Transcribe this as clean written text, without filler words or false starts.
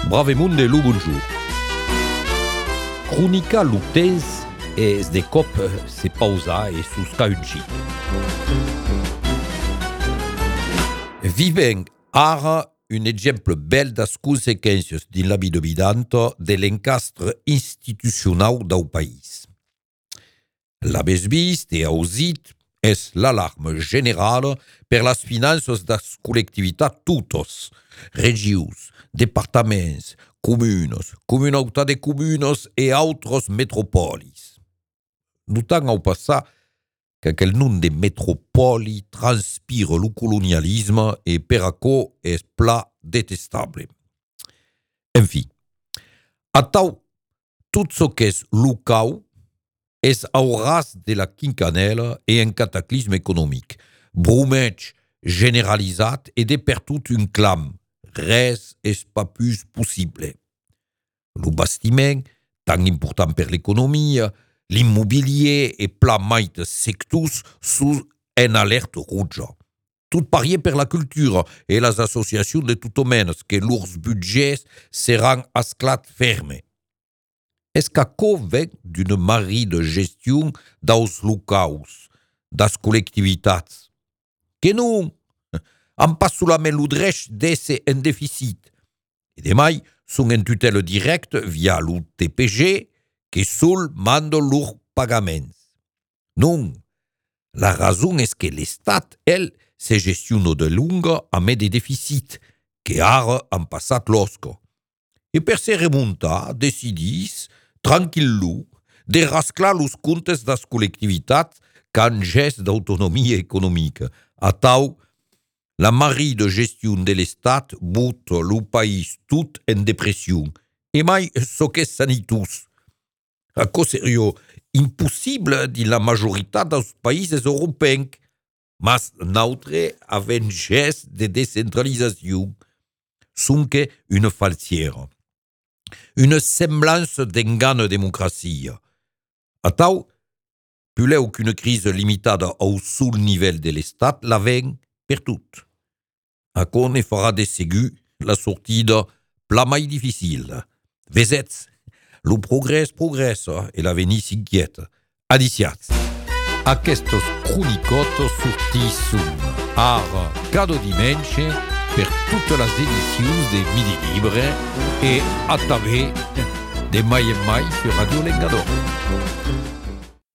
Bravemunde lo bonjour. Cronica lo temps es de cop se pausa e susca un xic. Vivem ara un exemple bel das consequèncias din la vida vidanta de l'encastre institucionau d'au país. L'avès vist e ausit es l'alarma generala per las finanças das collectivitats totes, regius, departaments, comunes, comunautat de comunes e autres metropolis. Notant au passar qu'aquel nom de metropoli transpire lo colonialisme e per aquò es pla detestable. Enfim, atau tot çò qu'es locau es au ras de la quincanela e un cataclisme economic, brumeig generalizat e de per tot un clam, res es pas plus possible. Lo bastiment, tan important per l'economia, l'immobilier e pla mait sectors sus en alerte rouja. Tot parier per la cultura e las associacions de tot menes que lors budgets seran asclat ferme. Es qu'aquò ven d'una mari de gestion d'aus locaus, das collectivitats. Que non, an pas solament lo drech d'esse en deficit. E demai son en tutela directe via lo TPG que sol manda lor pagaments. Non, la rason es que l'Estat, el, se gestiona de longa a met de deficit, que ara han passat l'osca. E per se remuntar, decidis, tranquillo, de rasclar los comptes das collectivitats qu'han gest d'autonomia economica. Atau, la mari de gestion de l'Estat bota lo país tot en depression. E mai so qu'es sanitós. Aquò serio impossible din la majoritat dels països europeus, mas nautre avem gest de descentralisació. Sonque una falsiera. Una semblança d'engana democracia. Atau, puleu qu'una crise limitada au sol nivell de l'Estat l'avem per tot. Aquò ne farà de segur la sortida pla mai difficile. Vesetz, lo progrés progressa e l'avenir s'inquieta. Adiciats. Aquestos cronicotes sortisson ara cada dimenche per totes les edicions de Midi Libre e a través de mai en mai sur Radio Lengador.